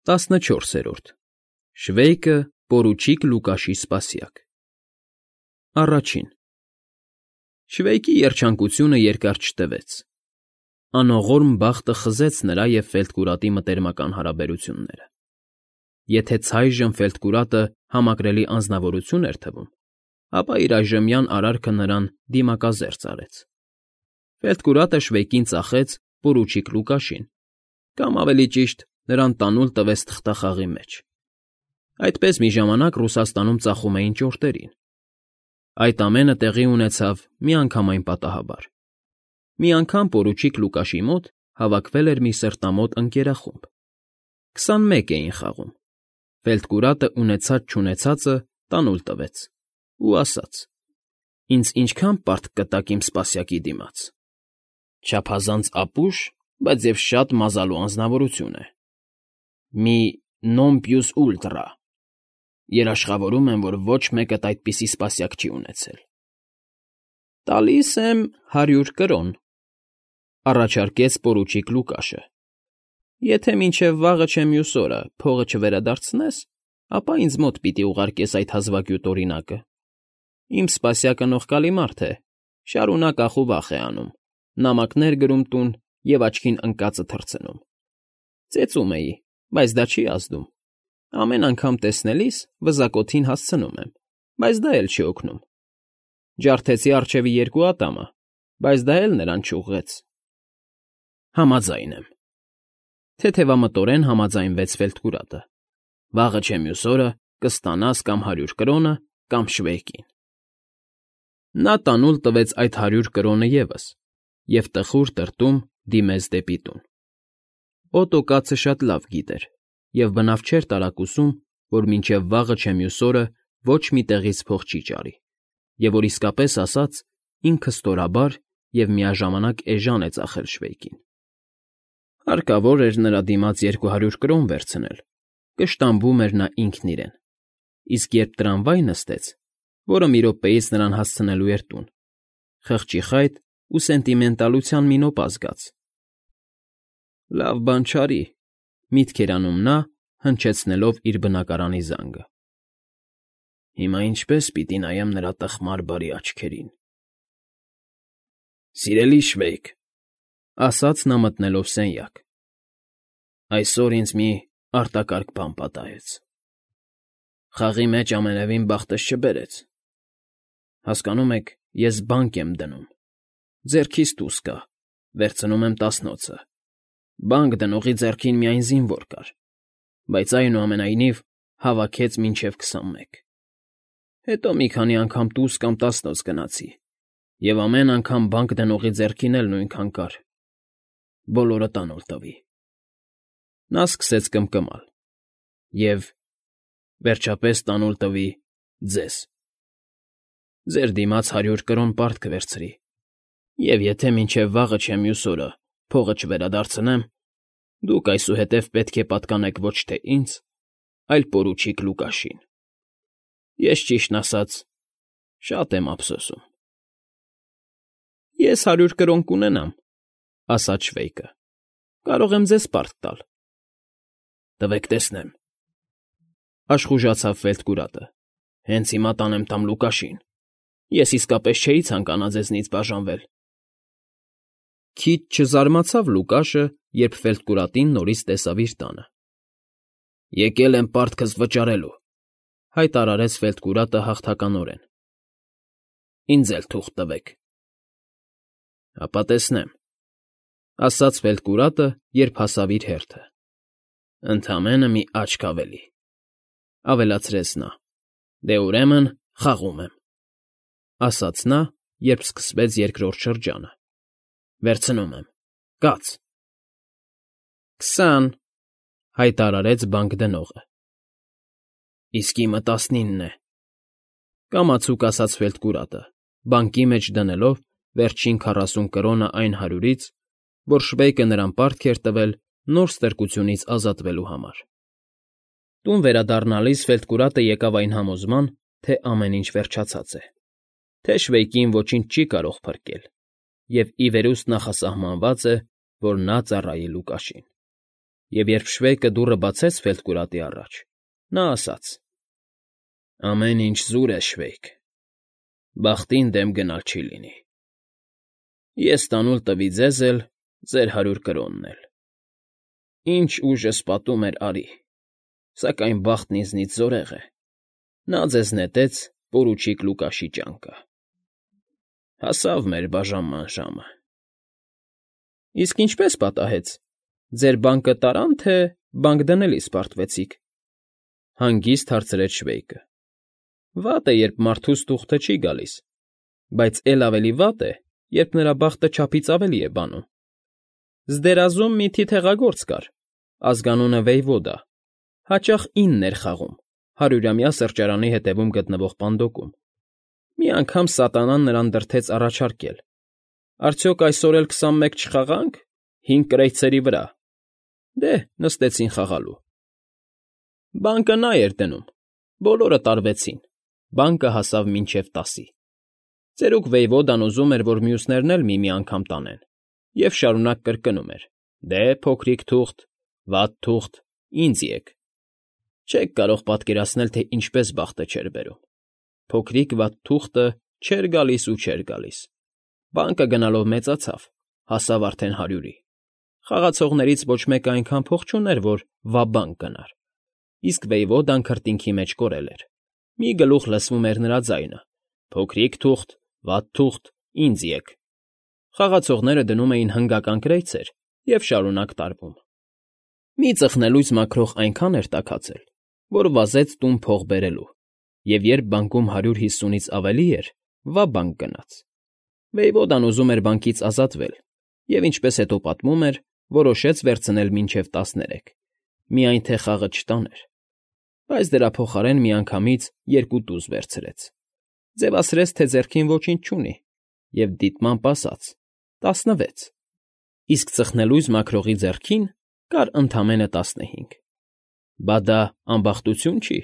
14. Շվեյկը պորուչիկ Լուկաշի սպասյակ։ Առաջին Շվեյկի երջանկությունը երկար չտևեց։ Անողորմ բախտը խզեց նրա և Ֆելտկուրատի մտերմական հարաբերությունները։ Եթե ցայժմ Ֆելտկուրատը համակրելի անձնավորություն էր թվում, ապա իր այժմյան արարքը նրան դիմակազերծ արեց։ Ֆելտկուրատը Շվեյկին ծախեց պորուչիկ Լուկաշին, կամ ավելի ճիշտ, նրան տանուլ տվեց թղթախաղի մեջ։ Այդպես մի ժամանակ Ռուսաստանում ծախում էին ճորտերին։ Այդ ամենը տեղի ունեցավ միանգամայն պատահաբար։ Մի անգամ պորուչիկ Լուկաշի մոտ հավաքվել էր մի սրտամոտ ընկերախումբ։ 21 էին խաղում։ Ֆելտկուրատը ունեցած֊չունեցածը տանուլ տվեց ու ասաց. «Ինձ ինչքան պարտք կտաք իմ սպասյակի դիմաց։ Չափազանց ապուշ, բայց և շատ մազալու անձնավորություն է։ Մի non plus ultra. Երաշխավորում եմ, որ ոչ մեկդ այդպիսի սպասյակ չի ունեցել»։ «Տալիս եմ 100 կրոն», առաջարկեց պորուչիկ Լուկաշը։ «Եթե մինչև վաղը չէ մյուս օրը փողը չվերադարձնես, ապա ինձ մոտ պիտի ուղարկես այդ հազվագյուտ օրինակը։ Իմ սպասյակը նողկալի մարդ է, շարունակ ախուվախ է անում, նամակներ գրում տուն և աչքին ընկածը թռցնում։ Ծեծում էի, բայց դա չի ազդում։ Ամեն անգամ տեսնելիս վզակոթին հասցնում եմ, բայց դա էլ չի օգնում։ Ջարդեցի առջևի 2 ատամը, բայց դա էլ նրան չուղղեց»։ «Համաձայն եմ», թեթևամտորեն համաձայնվեց Ֆելտկուրատը։ «Վաղը չէ մյուս օրը կստանաս կամ 100 կրոնը, կամ Շվեյկին»։ Նա տանուլ տվեց այդ 100 կրոնը ևս և տխուր տրտում դիմեց դեպի տուն։ Օտո կացը շատ լավ գիտեր և բնավ չէր տարակուսում, որ մինչև վաղը չէ մյուս օրը ոչ մի տեղից փող չի ճարի, և որ իսկապես ասած ինքը ստորաբար և միաժամանակ էժան է ծախել Շվեյկին։ Հարկավոր էր նրա դիմաց 200 կրոն վերցնել, կշտամբում էր նա ինքն իրեն, իսկ երբ տրամվայ նստեց, որը մի րոպեից նրան հասցնելու էր տուն, խղճի խայտ ու սենտիմենտալության մի նոպ զգաց։ «Լավ բան չարի», միտք էր անում նա, հնչեցնելով իր բնակարանի զանգը։ «Հիմա ինչպե՞ս պիտի նայեմ նրա տխմար բարի աչքերին»։ «Սիրելի Շվեյկ», ասաց նա մտնելով սենյակ, «այսօր ինձ մի արտակարգ բան պատահեց։ Խաղի մեջ ամենևին բախտս չբերեց։ Հասկանում եք, ես բանկ եմ դնում, ձեռքիս դուրս կա, վերցնում եմ 10-ոցը։ Բանկ դնողի ձեռքին միայն զինվոր կար, բայց այնուամենայնիվ հավաքեց մինչև 21։ Հետո մի քանի անգամ տուս կամ 10-ոց գնացի, և ամեն անգամ բանկ դնողի ձեռքին էլ նույնքան կար։ Բոլորը տանուլ տվի»։ Նա սկսեց կմկմալ. «Եվ վերջապես տանուլ տվի ձեզ։ Ձեր դիմաց 100 կրոն պարտք կվերցրի, և եթե մինչև վաղը չէ մյուս օրը փողը չվերադարձնեմ, դուք այսուհետև պետք է պատկանեք ոչ թե ինձ, այլ պորուչիկ Լուկաշին։ Ես, ճիշտն ասած, շատ եմ ափսոսում»։ «Ես 100 կրոն կունենամ», ասաց Շվեյկը։ «Կարող եմ ձեզ պարտք տալ»։ «Տվեք տեսնեմ», աշխուժացավ Ֆելտկուրատը։ «Հենց հիմա տանեմ տամ Լուկաշին։ Ես իսկապես չէի ցանկանա ձեզնից բաժանվել»։ Քիչ չզարմացավ Լուկաշը, երբ Ֆելտկուրատին նորից տեսավ իր տանը։ «Եկել եմ պարտքս վճարելու», հայտարարեց Ֆելտկուրատը հաղթականորեն։ «Ինձ էլ թուղթ տվեք»։ «Հապա տեսնեմ», ասաց Ֆելտկուրատը, երբ հասավ իր հերթը։ «Ընդամենը մի աչք ավելի», ավելացրեց նա։ «Դե ուրեմն խաղում եմ», ասաց նա, երբ սկսվեց երկրորդ շրջանը։ «Վերցնում եմ, կաց»։ 20, հայտարարեց բանկ դնողը։ «Իսկ իմը 19 է», կամացուկ ասաց Ֆելտկուրատը, բանկի մեջ դնելով վերջին 40 կրոնը այն 100-ից, որ Շվեյկը նրան պարտք էր տվել նոր ստրկությունից ազատվելու համար։ Տուն վերադառնալիս Ֆելտկուրատը եկավ այն համոզման, թե ամեն ինչ վերջացած է, թե Շվեյկին ոչինչ չի կարող փրկել, և ի վերուստ նախասահմանված է, որ նա ծառայի Լուկաշին։ Եվ երբ Շվեյկը դուռը բացեց Ֆելդկուրատի առաջ, նա ասաց. «Ամեն ինչ զուր է, Շվեյկ, բախտին դեմ գնալ չի լինի։ Ես տանուլ տվի ձեզ էլ, ձեր 100 կրոնն էլ։ Ինչ ուժս պատում էր արի, սակայն բախտն ինձնից զորեղ է, նա ձեզ նետեց պորուչիկ Լուկաշի ճանկը։ Հասավ մեր բաժանման ժամը»։ Իսկ ինչպես պատահեց, ձեր բանկը տարան, թե բանկ դնելիս պարտվեցիք, հանգիստ հարցրեց Շվեյկը։ Վատ է, երբ մարդուս թուղթը չի գալիս, բայց էլ ավելի վատ է, երբ նրա բախտը չափից ավելի է բանում։ Զդերազում մի թիթեղագործ կար, ազգանունը Վեյվոդա, հաճախ 9 էր խաղում 100-ամյա սրճարանի հետևում գտնվող պանդոկում։ Մի անգամ սատանան նրան դրդեց առաջարկել. «Արդյոք այսօր էլ 21 չխաղանք 5 կրեյծերի վրա»։ Դե, նստեցին խաղալու։ Բանկը նա էր դնում, բոլորը տարվեցին, բանկը հասավ մինչև 10-ի։ Ծերուկ Վեյվոդան ուզում էր, որ մյուսներն էլ մի անգամ տանեն, և շարունակ կրկնում էր. «Դե, փոքրիկ թուղթ, վատ թուղթ, ինձ եկ»։ Չեք կարող պատկերացնել, թե ինչպես բախտը չէր բերում։ Փոքրիկ վատ թուղթը չէր գալիս ու չէր գալիս։ Բանկը գնալով մեծացավ, հասավ արդեն 100-ի։ Խաղացողներից ոչ մեկը այնքան փող չուներ, որ ვა֊բանկ գնար, իսկ Վեյվոդան քրտինքի մեջ կորել էր։ Մի գլուխ լսվում էր նրա ձայնը. «Փոքրիկ թուղթ, վատ թուղթ, ինձ եկ»։ Խաղացողները դնում էին հնգական կրեյծեր և շարունակ տարվում։ Մի ծխնելույց մաքրող այնքան էր տաքացել, որ վազեց տուն փող բերելու, և երբ բանկում 150-ից ավելի էր, ვა֊բանկ գնաց։ Վեյվոդան ուզում էր բանկից ազատվել և, ինչպես հետո պատմում էր, որոշեց վերցնել մինչև 13, միայն թե խաղը չտաներ։ Բայց դրա փոխարեն միանգամից 2 տուզ վերցրեց, ձևացրեց, թե ձեռքին ոչինչ չունի, և դիտմամբ ասաց. 16, իսկ ծխնելույզ մաքրողի ձեռքին կար ընդամենը 15։ Բա դա ամբախտություն չի։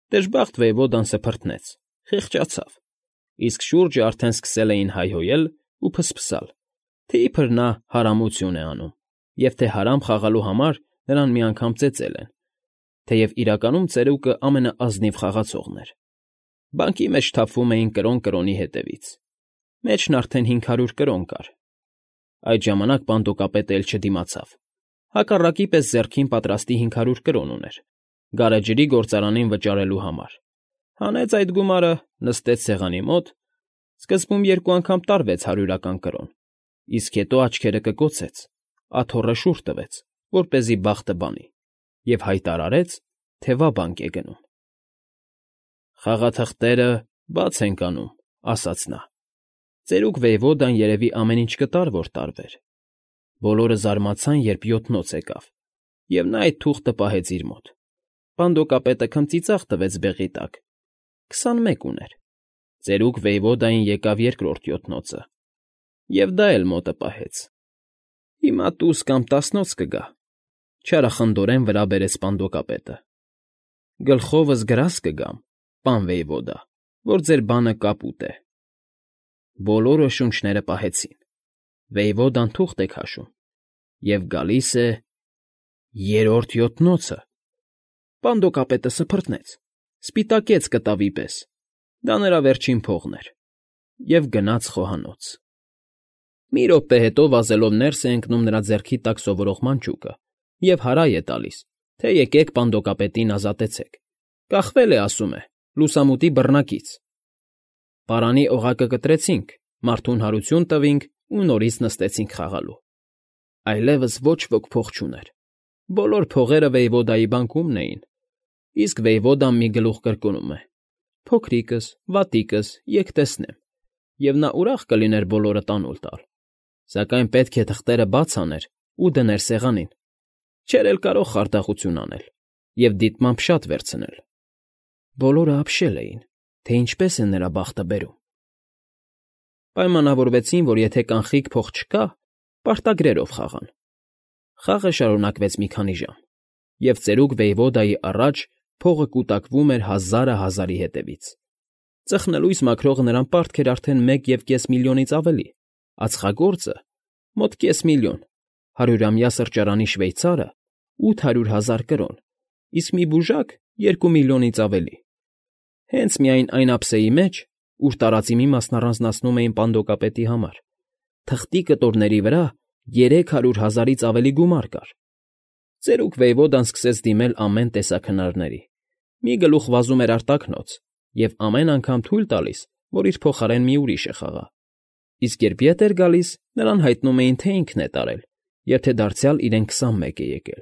Դժբախտ Վեյվոդան սփռտնեց, խիղճացավ, իսկ շուրջը արդեն սկսել էին հայհոյել ու փսփսալ, թե իբր նա հարամություն է անում, և թե հարամ խաղալու համար նրան մի անգամ ծեծել են, թեև իրականում ծերուկը ամենաազնիվ խաղացողն էր։ Բանկի մեջ թափվում էին կրոն կրոնի հետևից։ Մեջն արդեն 500 կրոն կար։ Այդ ժամանակ պանդոկապետը էլ չդիմացավ։ Հակառակի պես ձեռքին պատրաստի 500 կրոն ուներ, գարեջրի գործարանին վճարելու համար։ Հանեց այդ գումարը, նստեց սեղանի մոտ, սկզբում 2 անգամ տարվեց 100-ական կրոն, իսկ հետո աչքերը կկոցեց, աթոռը շուռ տվեց, որպեսզի բախտը բանի, և հայտարարեց, թե ვა֊բանկ է գնում։ «Խաղաթղթերը բաց ենք անում», ասաց նա։ Ծերուկ Վեյվոդան երևի ամեն ինչ կտար, որ տարվեր։ Բոլորը զարմացան, երբ 7-նոց եկավ, և նա այդ թուղթը պահեց իր մոտ։ Պանդոկապետը քմծիծաղ տվեց բեղի տակ. 21 ուներ։ Ծերուկ Վեյվոդային եկավ 2-րդ 7-նոցը, և դա էլ մոտը պահեց։ «Հիմա տուս կամ 10-նոց կգա», չարախնդորեն վրա բերեց պանդոկապետը։ «Գլխովս գրազ կգամ, պան Վեյվոդա, որ ձեր բանը կապուտ է»։ Բոլորը շունչները պահեցին։ Վեյվոդան թուղթ է քաշում, և գալիս է 3-րդ 7-նոցը։ Պանդոկապետը սփռտնեց, սպիտակեց կտավի պես, դա նրա վերջին փողն էր, և գնաց խոհանոց։ Մի րոպե հետո վազելով ներս է ընկնում նրա ձեռքի տակ սովորող մանչուկը և հարայ է տալիս, թե եկեք պանդոկապետին ազատեցեք։ Կախվել է, ասում է, լուսամուտի բռնակից։ Պարանի օղակը կտրեցինք, մարդուն հարություն տվինք ու նորից նստեցինք խաղալու։ Այլևս ոչ ոք փող չուներ։ Բոլոր փողերը Վեյվոդայի բանկումն էին, իսկ Վեյվոդան մի գլուխ կրկնում է. «Փոքրիկս, վատիկս, եկ տեսնեմ», և նա ուրախ կլիներ բոլորը տանուլ տալ, սակայն պետք է թղթերը բաց աներ ու դներ սեղանին։ Չէր էլ կարող խարդախություն անել և դիտմամբ շատ վերցնել։ Բոլորը ապշել էին, թե ինչպես է նրա բախտը բերում։ Պայմանավորվեցին, որ եթե կանխիկ փող չկա, պարտագրերով խաղան։ Խաղը շարունակվեց մի քանի ժամ, և ծերուկ Վեյվոդայի առաջ փողը կուտակվում էր 1000-ի հետևից։ Ծխնելույս մաքրողը նրան պարտք էր արդեն 1,5 միլիոնից ավելի, ածխագործը՝ մոտ կես միլիոն, 100-ամյա սրճարանի շվեյցարը 800,000 կրոն, իսկ մի բուժակ 2 միլիոնից ավելի։ Հենց միայն այն ափսեի մեջ, ուր տարածի մի մասն առանձնացնում էին պանդոկապետի համար, թղթի կտորների վրա 300,000-ից ավելի գումար կար։ Ծերուկ Վեյվոդան սկսեց դիմել ամեն տեսակ հնարների։ Մի գլուխ վազում էր արտաքնոց և ամեն անգամ թույլ տալիս, որ իր փոխարեն մի ուրիշը խաղա։ Իսկ երբ ետ էր գալիս, նրան հայտնում էին, թե ինքն է տարել, և թե դարձյալ իրեն 21 է եկել։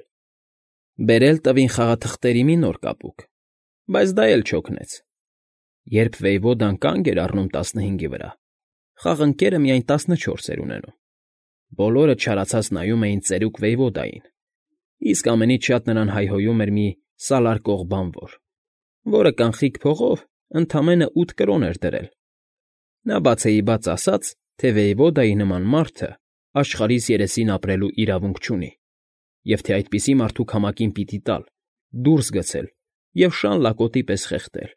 Բերել տվին խաղաթղթերի մի նոր կապուկ, բայց դա էլ չօգնեց։ Երբ Վեյվոդան կանգ էր առնում 15-ի վրա, խաղընկերը միայն 14 էր ունենում։ Բոլորը չարացած նայում էին ծերուկ Վեյվոդային, իսկ ամենից շատ նրան հայհոյում էր մի սալարկող բանվոր, որը կանխիկ փողով ընդամենը 8 կրոն էր դրել։ Նա բացեիբաց ասաց, թե Վեյվոդայի նման մարդը աշխարհիս երեսին ապրելու իրավունք չունի, և թե այդպիսի մարդու քամակին պիտի տալ, դուրս գցել և շան լակոտի պես խեղդել։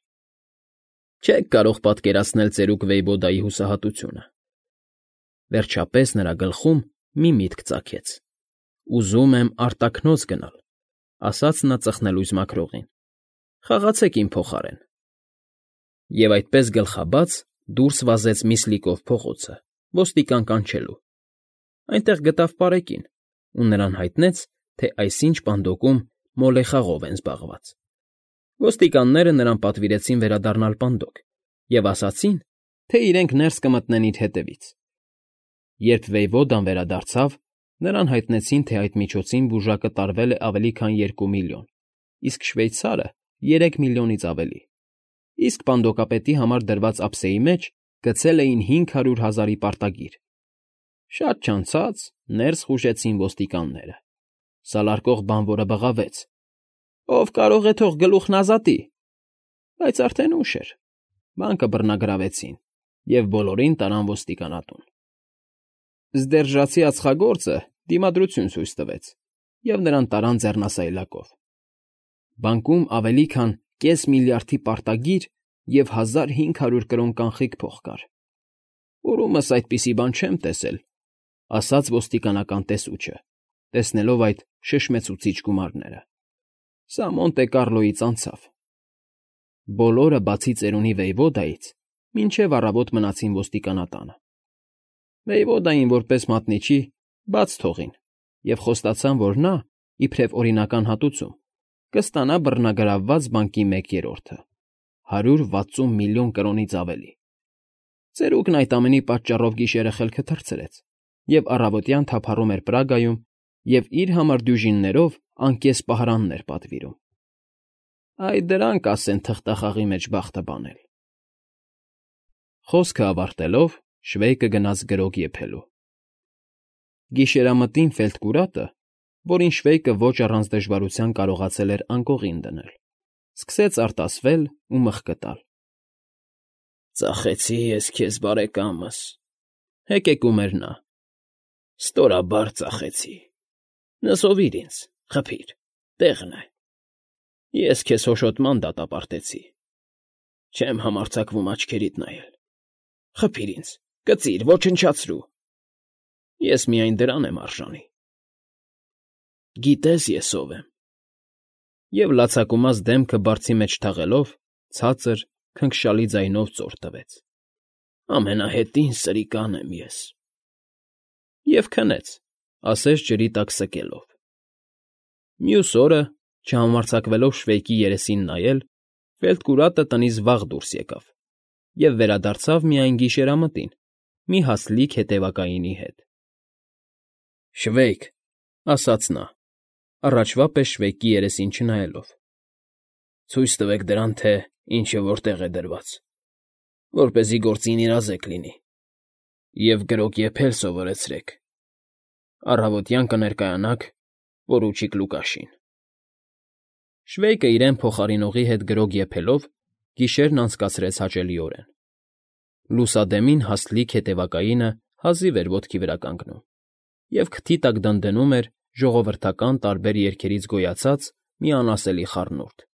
Չեք կարող պատկերացնել ծերուկ Վեյվոդայի հուսահատությունը։ Վերջապես նրա գլխում մի միտք ծագեց։ «Ուզում եմ արտաքնոց գնալ», ասաց նա ծխնելույզ մաքրողին։ «Խաղացեք իմ փոխարեն»։ Եվ այդպես գլխաբաց դուրս վազեց Միսլիկով փողոցը, ոստիկան կանչելու։ Այնտեղ գտավ պարեկին ու նրան հայտնեց, թե այսինչ պանդոկում մոլեխաղով են զբաղված։ Ոստիկանները նրան պատվիրեցին վերադառնալ պանդոկ և ասացին, թե իրենք ներս կմտնեն իր հետևից։ Երբ Վեյվոդան վերադարձավ, նրան հայտնեցին, թե այդ միջոցին բուժակը տարվել է ավելի քան 2 միլիոն, իսկ շվեյցարը 3 միլիոնից ավելի, իսկ պանդոկապետի համար դրված ափսեի մեջ գցել էին 500,000-ի պարտագիր։ Շատ չանցած ներս խուժեցին ոստիկանները։ Սալարկող բանվորը բղավեց. «Ով կարող է, թող գլուխն ազատի»։ Բայց արդեն ուշ էր։ Բանկը բռնագրավեցին և բոլորին տարան ոստիկանատուն։ Սդերժացի ածխագործը դիմադրություն ցույց տվեց, և նրան տարան ձեռնասայլակով։ Բանկում ավելի քան կես միլիարդի պարտագիր և 1500 կրոն կանխիկ փող կար։ «Որումս այդպիսի բան չեմ տեսել», ասաց ոստիկանական տեսուչը, տեսնելով այդ շշմեցուցիչ գումարները։ Սա Մոնտե Կառլոյից անցավ։ Բոլորը, բացի ծերունի Վեյվոդայից, մինչև առավոտ մնացին ոստիկանատանը։ Վեյվոդային որպես մատնիչի բաց թողին և խոստացան, որ նա, իբրև օրինական հատուցում, կստանա բռնագրավված բանկի 1/3-ը, 160 միլիոն կրոնից ավելի։ Ծերուկն այդ ամենի պատճառով գիշերը խելքը թռցրեց և առավոտյան թափառում էր Պրագայում և իր համար դյուժիններով անկես պահարաններ պատվիրում։ Այ դրանք ասեն թղթախաղի մեջ բախտը բանել։ Խոսքը ավարտելով՝ Շվեյկը գնաց գրոգ եփելու։ Գիշերամտին Ֆելտկուրատը, որին Շվեյկը ոչ առանց դժվարության կարողացել էր անկողին դնել, սկսեց արտասվել ու մխկտալ։ «Ծախեցի ես քեզ, բարեկամս», հեկեկում էր նա։ «Ստորաբար ծախեցի։ Նզովիր ինձ, խփիր, տեղն է։ Ես քեզ հոշոտման դատապարտեցի։ Չեմ համարձակվում աչքերիդ նայել։ Խփիր ինձ, կծիր, ոչնչացրու։ Ես միայն դրան եմ արժանի։ Գիտես ես ով եմ»։ Եվ լացակումած դեմքը բարձի մեջ թաղելով, ցածր, քնքշալի ձայնով ծոր տվեց. «Ամենահետին սրիկան եմ ես»։ Եվ քնեց, ասես ջրի տակ սկելով։ Մյուս օրը, չհամարձակվելով Շվեյկի երեսին նայել, Ֆելտկուրատը տնից վաղ դուրս եկավ և վերադարձավ միայն գիշերամտին, մի հացլիկ հետևակայինի հետ։ «Շվեյկ», ասաց նա, առաջվա պես Շվեյկի երեսին չնայելով, «ցույց տվեք դրան, թե ինչը որտեղ է դրված, որպեսզի գործին իրազեկ լինի, և գրոգ եփել սովորեցրեք։ Առավոտյան կներկայանաք պորուչիկ Լուկաշին»։ Շվեյկը իրեն փոխարինողի հետ գրոգ եփելով գիշերն անցկացրեց հաճելիորեն։ Լուսադեմին հաստլիկ հետևակայինը հազիվ էր ոտքի վրա կանգնում, և քթի տակ դնդնում էր ժողովրդական տարբեր երգերից գոյացած մի անասելի խառնուրդ։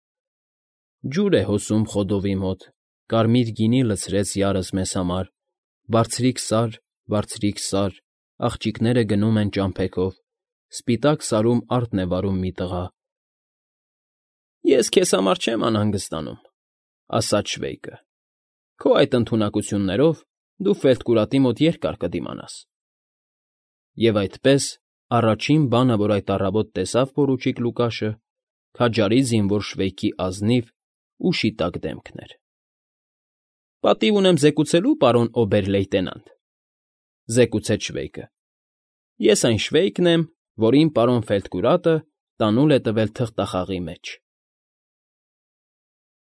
Ջուր է հոսում խոդովի մոտ, կարմիր գինի լցրեց յարս մեզ համար, բարձրիկ Սար, աղջիկները գնում են ճամփեքով, սպիտակ սարում արդն է վարում մի տղա։ ֊ Ես քեզ համար չեմ անհանգստանում,֊ ասաց Շվեյկը։֊ Քո այդ ընդունակություններով դու Ֆելթկուրատի մոտ երկար կդիմանաս։ Եվ այդպես առաջին բանը, որ այդ առավոտ տեսավ պորուչիկ Լուկաշը, քաջարի զինվոր շվեյքի ազնիվ ու շիտակ դեմքն էր։ ֊ Պատիվ ունեմ զեկուցելու, պարոն օբեր֊լեյտենանտ,֊ զեկուցեց Շվեյկը։֊ Ես այն Շվեյկն եմ, որին պարոն Ֆելթկուրատը տանուլ է տվել թղթախաղի մեջ։